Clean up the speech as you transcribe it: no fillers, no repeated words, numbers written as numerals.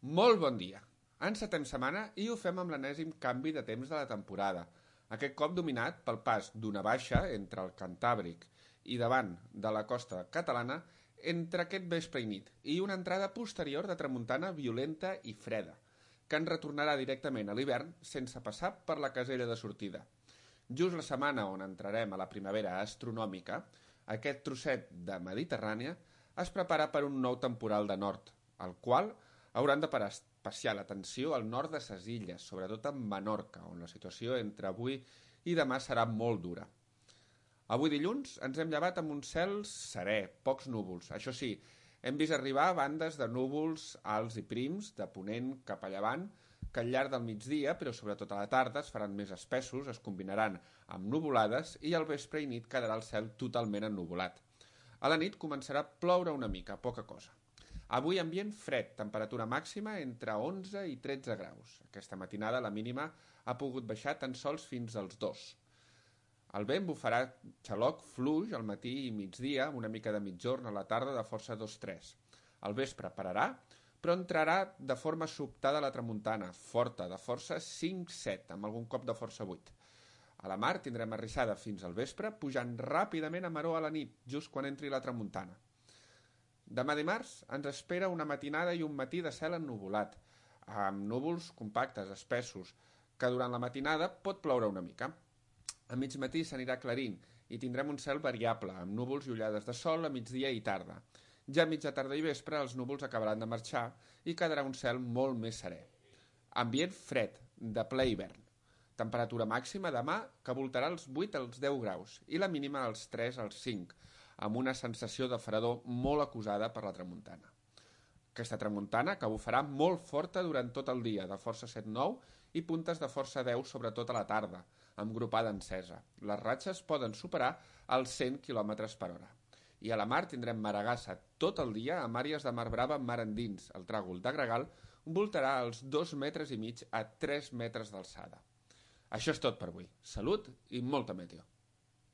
Molt bon dia. Encetem setmana i ho fem amb l'enèsim canvi de temps de la temporada, aquest cop dominat pel pas d'una baixa entre el Cantàbric i davant de la costa catalana entre aquest vespre i nit i una entrada posterior de tramuntana violenta i freda, que ens retornarà directament a l'hivern sense passar per la casella de sortida. Just la setmana on entrarem a la primavera astronòmica, aquest trosset de Mediterrània es prepara per un nou temporal de nord, el qual hauran de parar especial atenció al nord de ses illes, sobretot a Menorca, on la situació entre avui i demà serà molt dura. Avui dilluns ens hem llevat amb un cel serè, pocs núvols. Això sí, hem vist arribar bandes de núvols alts i prims, de ponent cap a llevant, que al llarg del migdia, però sobretot a la tarda, es faran més espessos, es combinaran amb nuvolades i al vespre i nit quedarà el cel totalment ennuvolat. A la nit començarà a ploure una mica, poca cosa. Avui ambient fred, temperatura màxima entre 11 i 13 graus. Aquesta matinada la mínima ha pogut baixar tan sols fins als 2. El vent bufarà xaloc fluix al matí i migdia, amb una mica de mitjorn a la tarda de força 2-3. Al vespre pararà, però entrarà de forma sobtada a la tramuntana, forta, de força 5-7, amb algun cop de força 8. A la mar tindrem arrissada fins al vespre, pujant ràpidament a maró a la nit, just quan entri la tramuntana. Demà dimarts ens espera una matinada i un matí de cel ennuvolat, amb núvols compactes, espessos, que durant la matinada pot ploure una mica. A mig matí s'anirà aclarint i tindrem un cel variable, amb núvols i ullades de sol a migdia i tarda. Ja a mitja tarda i vespre els núvols acabaran de marxar i quedarà un cel molt més serè. Ambient fred, de ple hivern. Temperatura màxima demà que voltarà els 8 als 10 graus i la mínima als 3 als 5, amb una sensació de fredor molt acusada per la tramuntana. Aquesta tramuntana que bufarà molt forta durant tot el dia, de força 7-9 i puntes de força 10 sobretot a la tarda, amb gropada encesa. Les ratxes poden superar els 100 km per hora. I a la mar tindrem maragassa tot el dia amb àrees de mar brava mar endins. El tràgol de gregal voltarà als 2,5 metres a 3 metres d'alçada. Això és tot per avui. Salut i molta meteo.